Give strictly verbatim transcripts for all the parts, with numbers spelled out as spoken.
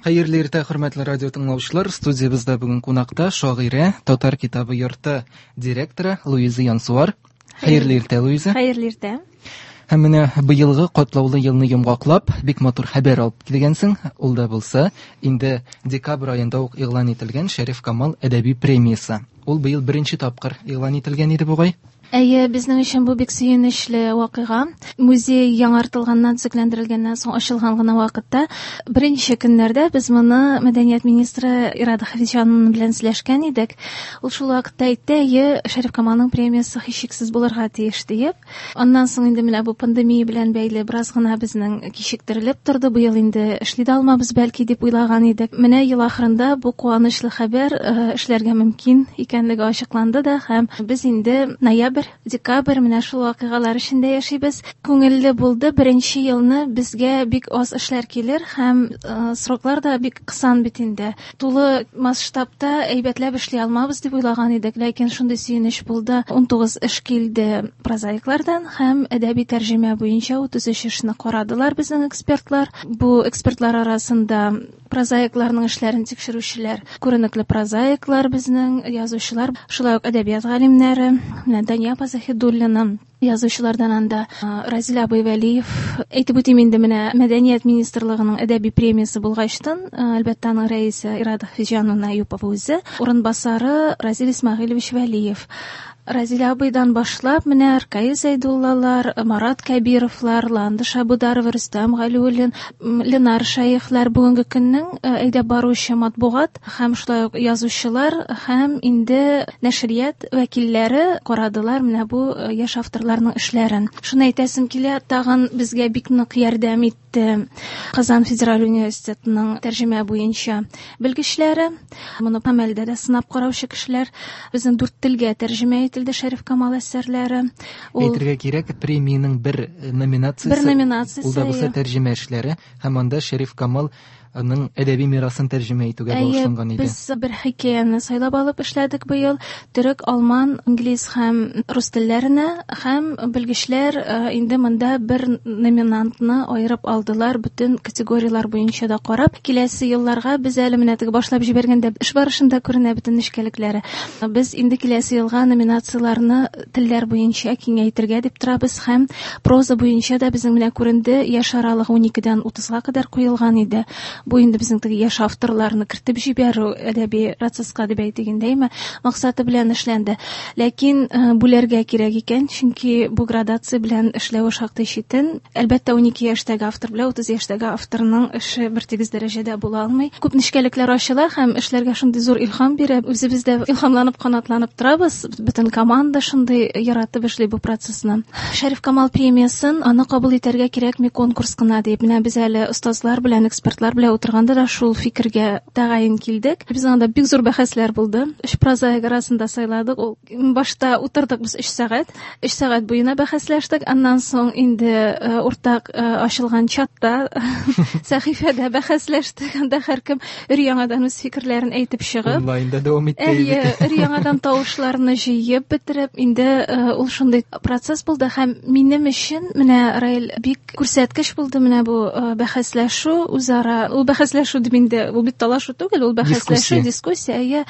Хәерле иртә, хөрмәтле радио тыңлаучылар. Студиябездә бүген кунакта шагыйрә, Татар китабы йорты директоры Луиза Янсуар. Хәерле иртә, Луиза. Хәерле иртә. Һәм менә быелгы катлаулы елны йомгаклап, бик матур хәбәр алып килгәнсең. Ул да булса, инде декабрь аенда ук игълан ителгән Шәриф Камал әдәби премиясе. Ул быел беренче тапкыр игълан ителгән иде бугай. Әйе, безнең өчен бу бик сөенечле вакыйга. Музей яңартылганнан, төзекләндерелгәннән соң ачылган гына вакытта беренче көннәрдә без моны мәдәният министры Ирада Хафизҗанова белән сөйләшкән идек. Ул шул вакытта әйтте, әйе, Шәриф Камалның премиясе һичшиксез булырга тиеш диеп. Аннан соң инде менә бу пандемия белән бәйле бераз гына безнең кичектерелеп торды. Быел инде эшли дә алмабыз бәлки дип уйлаган идек. Менә ел ахырында бу куанычлы хәбәр эшләргә мөмкин икәнлеге ачыкланды да һәм без инде ноябрь, декабрь менә шул вакыйгалар эчендә яшибез. Күңелле булды. Беренче елны безгә бик аз эшләр килер һәм э, сроклар да бик кысан бит инде. Тулы масштабта әйбәтләп эшли алмабыз дип уйлаган идек, ләкин шундый сөенеч булды. Унтугыз эш килде прозаиклардан һәм әдәби тәрҗемә буенча утыз өч эшне карадылар безнең экспертлар. Бу экспертлар арасында прозаикларның эшләрен тикшерүчеләр, күренекле прозаиклар безнең, язучылар, шулай ук әдәбият галимнәре, менә Дания апа Заһидуллина, язучылардан анда Разил абый Вәлиев. Әйтеп үтим инде, менә Мәдәният министрлыгының әдәби премиясе булгачтын, әлбәттә, аның рәисе Ирада Хафизҗановна Әюпова үзе, урынбасары Разил Исмәгыйлевич Вәлиев. Разил абыйдан башлап, менә Ркаил Зәйдуллалар, Марат Кәбировлар, Ландыш Абударова, Рөстәм Галиуллин, Ленар Шәехләр бүгенге көннең әйдәп баручы матбугат һәм шулай ук язучылар һәм инде нәшрият вәкилләре карадылар менә бу яшь авторларның эшләрен. Шуны әйтәсем килә, тагын безгә бик нык ярдәм итте Казан федераль университетының тәрҗемә буенча белгечләре. Моны гамәлдә дә сынап караучы кешеләр. Безнең дүрт телгә тәрҗемә ителде Шәриф Камал әсәрләре. Ул... Әйтергә кирәк, премиянең бер номинациясе, бер номинациясе, ул да булса тәрҗемә эшләре, һәм анда Шәриф Камал аның әдәби мирасын тәрҗемә итүгә багышланган иде. Без бер хикәяне сайлап алып эшләдек быел. Төрек, алман, инглиз һәм рус телләренә, һәм белгечләр инде монда бер номинантны аерып алдылар, бөтен категорияләр буенча да карап. Киләсе елларга без әле менә теге башлап җибәргәндә эш барышында күренә бөтен нечкәлекләре. Без инде киләсе елга номинацияләрне телләр буенча киңәйтергә дип торабыз һәм проза буенча да безнең менә күренде, яшь аралыгы уникедән утызга кадәр куелган иде. Бу инде безнең теге яшь авторларны кертеп җибәрү әдәби процесска дип әйтегендәйме, максаты белән эшләнде. Ләкин бүләргә кирәк икән, чөнки бу градация белән эшләве шактый читен. Әлбәттә, унике яшьтәге автор белән утыз яшьтәге авторның эше бер тигез дәрәҗәдә була алмый. Күп нечкәлекләр ачыла һәм эшләргә шундый зур илһам бирә. Үзебез дә илһамланып, канатланып торабыз. Бөтен команда шундый яратып эшли бу процессны. Шәриф Камал премиясын аны кабул итәргә кирәкми конкурс кына дип. Менә без әле остазлар белән, экспертлар белән утырганда да шул фикергә тәгаен килдек. Безнең анда бик зур бәхәсләр булды. Өч прозаик арасында сайладык. Ул башта утырдык без өч сәгать. Өч сәгать буена бәхәсләштек. Аннан соң инде уртак ачылган чатта, сәхифәдә бәхәсләштек. Анда һәркем өр-яңадан үз фикерләрен әйтеп чыгып, онлайнда дәвам итте. Әйе, өр-яңадан тавышларны җыеп бетереп, инде ул шундый процесс булды һәм минем өчен менә Раил бик күрсәткеч булды менә бу бәхәсләшү үзара. Ул бәхәсләшү дип инде, ул бит талашу түгел, ул бәхәсләшү, дискуссия. Әйе,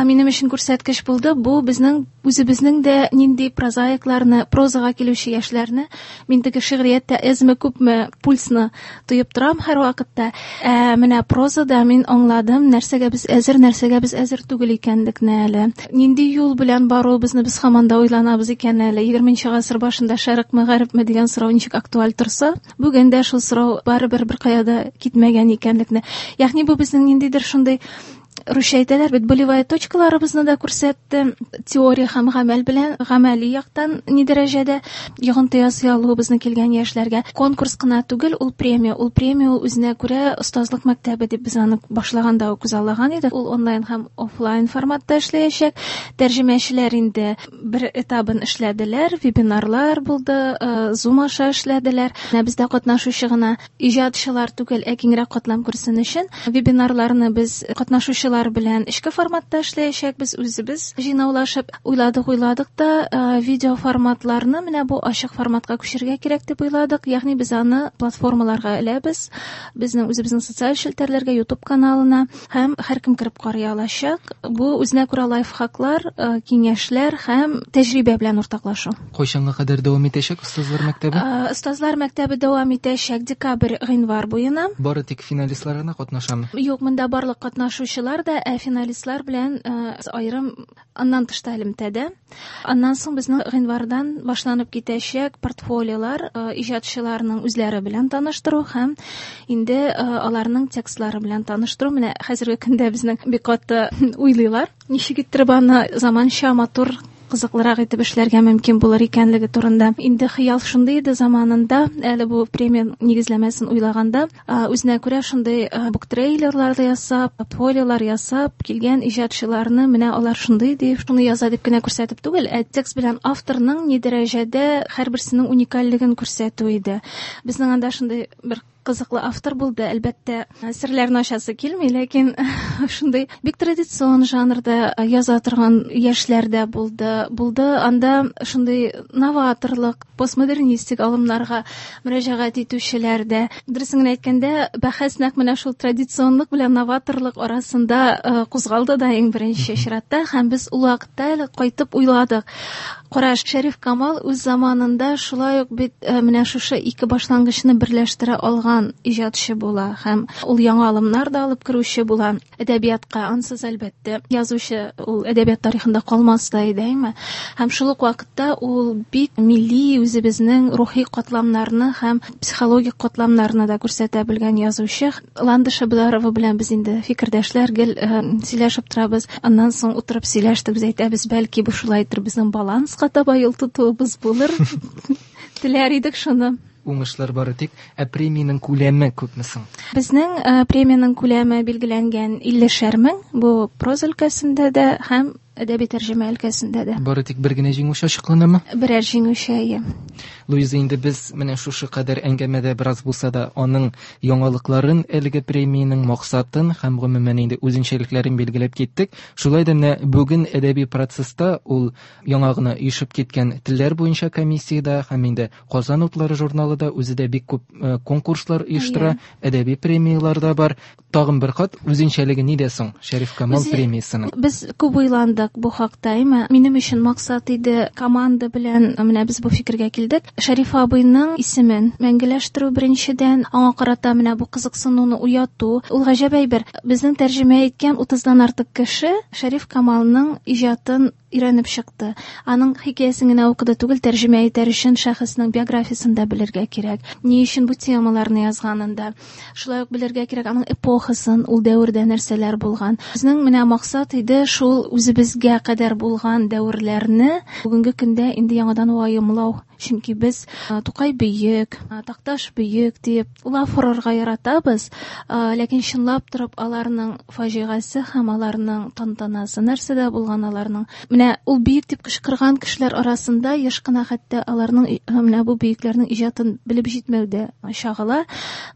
минем өчен күрсәткеч булды. Бу безнең үзебезнең дә нинди прозаикларны, прозага килүче яшьләрне, мин теге шигърияттә әзме күпме пульсны тоеп торам һәр вакытта. Ә менә прозада мин аңладым, нәрсәгә без әзер, нәрсәгә без әзер түгел икәнлекне әле. Нинди юл белән баруыбызны без һаман да уйланабыз икән әле. Егерменче гасыр башында шәрыкмы, гарепме дигән сорау ничек актуаль торса, бүген дә шул сорау барыбер бер кая да китмәгән икәнлекне. Ягъни бу безнең ниндидер шундый русча әйтәләр бит, болевая точкаларыбызны да күрсәтте. Теория һәм гамәл белән, гамәли яктан ни дәрәҗәдә йогынты ясый алуыбызны килгән яшьләргә. Конкурс кына түгел, ул премия. Ул премия ул үзенә күрә остазлык мәктәбе дип без аны башлаганда ук күзаллаган идек. Ул онлайн һәм офлайн форматта эшләячәк. Тәрҗемәчеләр инде бер этабын эшләделәр, вебинарлар булды, Zoom аша эшләделәр. Менә бездә катнашучы гына иҗатчылар түгел, ә киңрәк катлам күрсен өчен вебинарларны без катнашучы Укытучылар белән эчке форматта эшләячәкбез, үзебез җыйнаулашып уйладык, уйладык та видео форматларны менә бу ачык форматка күчерергә кирәк дип уйладык. Ягъни без аны платформаларга эләбез, безнең үзебезнең социаль челтәрләргә, YouTube каналына, һәм һәркем кереп карый алачак. Бу үзенә күрә лайфхаклар, киңәшләр һәм тәҗрибә белән уртаклашу. Кайчанга кадәр дәвам итәчәк Остазлар мәктәбе? Остазлар мәктәбе дәвам итәчәк декабрь, гыйнвар буена. Бары тик финалистлар гына катнашамы? Юк, монда барлык катнашучылар да, ә финалистлар белән аерым аннан тыш та элемтәдә. Аннан соң безнең гыйнвардан башланып китәчәк портфолиолар, иҗатчыларның үзләре белән таныштыру һәм инде аларның текстлары белән таныштыру. Менә хәзерге көндә безнең бик каты уйлыйлар, ничек иттереп аны заманча матур, кызыклырак итеп эшләргә мөмкин булыр икәнлеге турында. Инде хыял шундый иде заманында, әле бу премия нигезләмәсен уйлаганда, үзенә күрә шундый буктрейлерлар ясап, портфолиолар ясап килгән иҗатчыларны менә алар шундый дип, шуны яза дип кенә күрсәтеп түгел, ә текст белән авторның ни дәрәҗәдә һәрберсенең уникальлеген күрсәтү иде. Безнең анда шундый бер кызыклы автор булды, әлбәттә, серләрне ачасы килми, ләкин шундый бик традицион жанрда яза торган яшьләр дә булды. Булды анда шундый новаторлык, постмодернистик алымнарга мөрәҗәгать итүчеләр дә. Дөресен генә әйткәндә, бәхәс нәкъ менә шул традиционлык белән новаторлык арасында кузгалды да иң беренче чиратта, һәм без ул вакытта әле кайтып уйладык. Кара, Шәриф Камал үз заманында шулай ук бит менә шушы ике башлангычны берләштерә алган иҗатчы була һәм ул яңа алымнар да алып керүче була әдәбиятка. Ансыз, әлбәттә, язучы ул әдәбият тарихында калмас та иде, әйме? Һәм шул ук вакытта ул бик милли үзебезнең рухи катламнарны һәм психологик катламнарны да күрсәтә белгән язучы. Ландыш Абдарова белән без инде фикердәшләр, гел сөйләшеп торабыз. Аннан соң утырып сөйләштек, без әйтәбез, бәлки бу шулайдыр, безнең баланска таба юл тотуыбыз булыр. Теләр идек шуны. Уңышлар бары тик, ә премиянең күләме күпме соң? Безнең премиянең күләме билгеләнгән иллешәр мең, бу проза өлкәсендә дә һәм әдәби тәрҗемә өлкәсендә дә. Бары тик бер генә җиңүче ачыкланамы? Берәр җиңүче, әйе. Луиза, инде без менә шушы кадәр әңгәмәдә бераз булса да аның яңалыкларын, әлеге премиянең максатын һәм гомумән инде үзенчәлекләрен билгеләп киттек. Шулай да менә бүген әдәби процесста ул яңа гына оешып киткән телләр буенча комиссиядә һәм инде Казан утлары журналы да үзе дә бик күп конкурслар оештыра, әдәби премияләр дә бар. Тагын бер кат үзенчәлеге нидә соң Шәриф Камал премиясенең? Без күп уйландык бу хакта, әйме? Минем өчен максат иде команда белән, менә без бу фикергә килдек. Шәриф абыйның исемен мәңгеләштерү беренчедән, аңа карата менә бу кызыксынуны уяту. Ул гаҗәп әйбер. Безнең тәрҗемә иткән утыздан артык кеше Шәриф Камалның иҗатын өйрәнеп чыкты. Аның хикәясен генә укыды түгел, тәрҗемә итәр өчен шәхеснең биографиясен дә белергә кирәк. Ни өчен бу темаларны язганын да. Шулай ук белергә кирәк аның эпохасын, ул дәвердә нәрсәләр булган. Безнең менә максат иде шул үзебезгә кадәр булган дәверләрне бүгенге көндә инде яңадан ваемлау. Чөнки без Тукай бөек, Такташ бөек дип лаф орырга яратабыз, ләкин чынлап торып аларның фаҗигасе һәм аларның тантанасы нәрсәдә булган аларның. Менә ул бөек дип кычкырган кешеләр арасында еш кына хәтта аларның менә бу бөекләрнең иҗатын белеп җитмәү дә чагыла.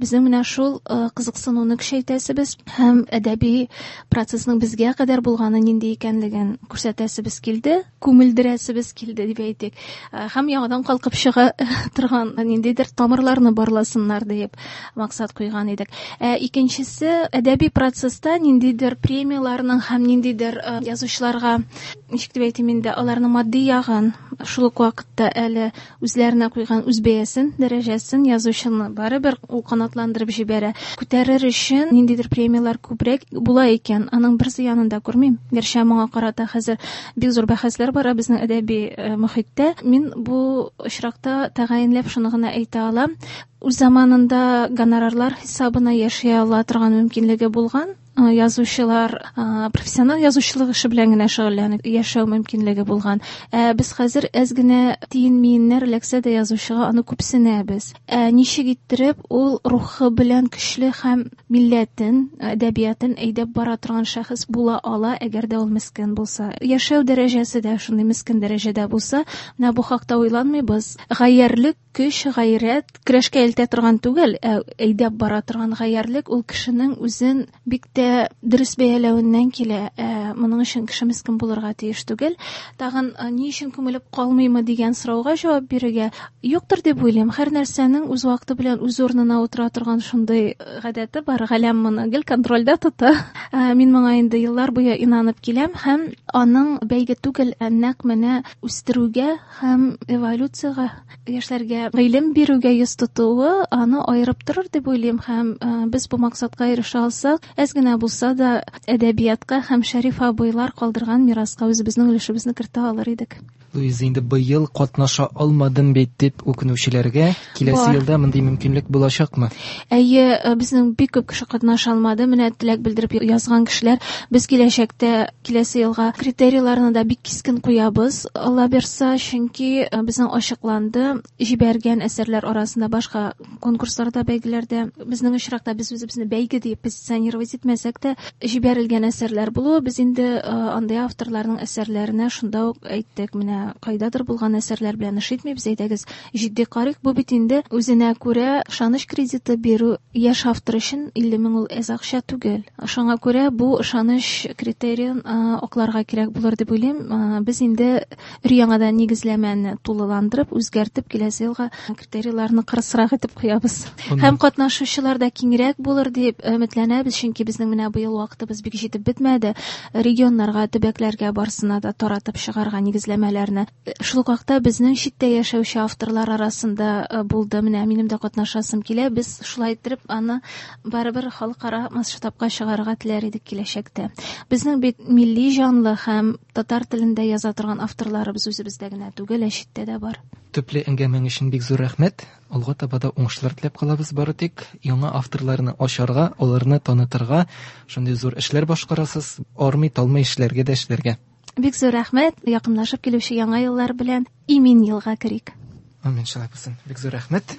Безнең менә шул кызыксынуны көчәйтәсебез һәм әдәби процессның безгә кадәр булганы нинди икәнлеген күрсәтәсебез килде, күмелдерәсебез килде дип әйтик. Һәм яңадан калкып чыга торган ниндидер тамырларны барласыннар дип максат куйган идек. Ә икенчесе, әдәби процесста ниндидер премияләрнең һәм ниндидер язучыларга, ничек дип әйтим инде, аларның матди ягын, шул ук вакытта әле үзләренә куйган үз бәясен, дәрәҗәсен язучыны барыбер ул канатландырып җибәрә. Күтәрер өчен ниндидер премияләр күбрәк була икән, аның бер зыянын да күрмим. Гәрчә моңа карата хәзер бик зур бәхәсләр бара безнең әдәби мөхиттә. Мин бу очракта тәгаенләп шуны гына әйтә алам. Үз заманында гонорарлар хисабына яши ала торган мөмкинлеге булган язучылар, профессионал язучылык эше белән генә шөгыльләнеп яшәү мөмкинлеге булган. Ә без хәзер әз генә тиен-миеннәр эләксә дә язучыга аны күпсенәбез. Ә ничек иттереп ул рухы белән көчле һәм милләтен, әдәбиятын әйдәп бара торган шәхес була ала, әгәр дә ул мескен булса. Яшәү дәрәҗәсе дә шундый мескен дәрәҗәдә булса, менә бу хакта уйланмыйбыз. Гаярьлек Көч, гайрәт, көрәшкә илтә торган түгел, ә әйдәп бара торган гаярьлек ул кешенең үзен бик тә дөрес бәяләвеннән килә. Ә моның өчен кеше мескен булырга тиеш түгел. Тагын ни өчен күмелеп калмыймы дигән сорауга җавап бирергә юктыр дип уйлыйм. Һәр нәрсәнең үз вакыты белән үз урынына утыра торган шундый гадәте бар. Галәм моны гел контрольдә тота. Мин моңа инде еллар буе инанып киләм һәм аның бәйге түгел, ә нәкъ менә үстерүгә һәм эволюциягә, яшьләргә гыйлем бирүгә йөз тотуы аны аерып торыр дип уйлыйм һәм без бу максатка ирешә алсак, әз генә булса да әдәбиятка һәм Шәриф абыйлар калдырган мираска үзебезнең өлешебезне кертә алыр идек. Луиза, инде быел катнаша алмадым бит дип үкенүчеләргә киләсе елда мондый мөмкинлек булачакмы? Әйе, безнең бик күп кеше катнаша алмады. Менә теләк белдереп язган кешеләр. Без киләчәктә киләсе елга критерийларны да бик кискен куябыз. Алла бирса, чөнки безнең ачыкланды, җибәргән әсәрләр арасында башка конкурсларда, бәйгеләрдә, безнең очракта без үзебезне бәйге дип позиционировать итмәсәк тә, җибәрелгән әсәрләр булуы, без инде андый авторларның әсәрләренә шунда ук әйттек, менә кайдадыр булган әсәрләр белән эш итмибез, әйдәгез җитди карыйк. Бу бит инде үзенә күрә ышаныч кредиты бирү яшь автор өчен илле мең ул әз акча түгел. Шуңа күрә бу ышаныч критериен акларга кирәк булыр дип уйлыйм. Без инде өр-яңадан нигезләмәне тулыландырып, үзгәртеп киләсе елга критерийларны кырысрак итеп куябыз. Һәм катнашучылар да киңрәк булыр дип өметләнәбез, чөнки безнең менә быел вакытыбыз бик җитеп бетмәде. Регионнарга, төбәкләргә барсына да таратып чыгарга нигезләмәләрне. Шул ук вакытта безнең читтә яшәүче авторлар арасында булды. Менә минем дә катнашасым килә. Без шулай итеп аны барыбер халыкара масштабка чыгарырга теләр идек киләчәктә. Безнең бит милли җанлы һәм татар телендә яза торган авторларыбыз үзебездә генә түгел, ә читтә дә бар. Төпле әңгәмәң өчен бик зур рәхмәт. Алга таба да уңышлар теләп калабыз. Бары тик яңа авторларны ачарга, аларны танытырга шундый зур эшләр башкарасыз. Армый, талмый эшләргә дә эшләргә. Бик зур рәхмәт. Якынлашып килүче яңа еллар белән имин елга керик. Амин, шулай булсын. Бик зур рәхмәт.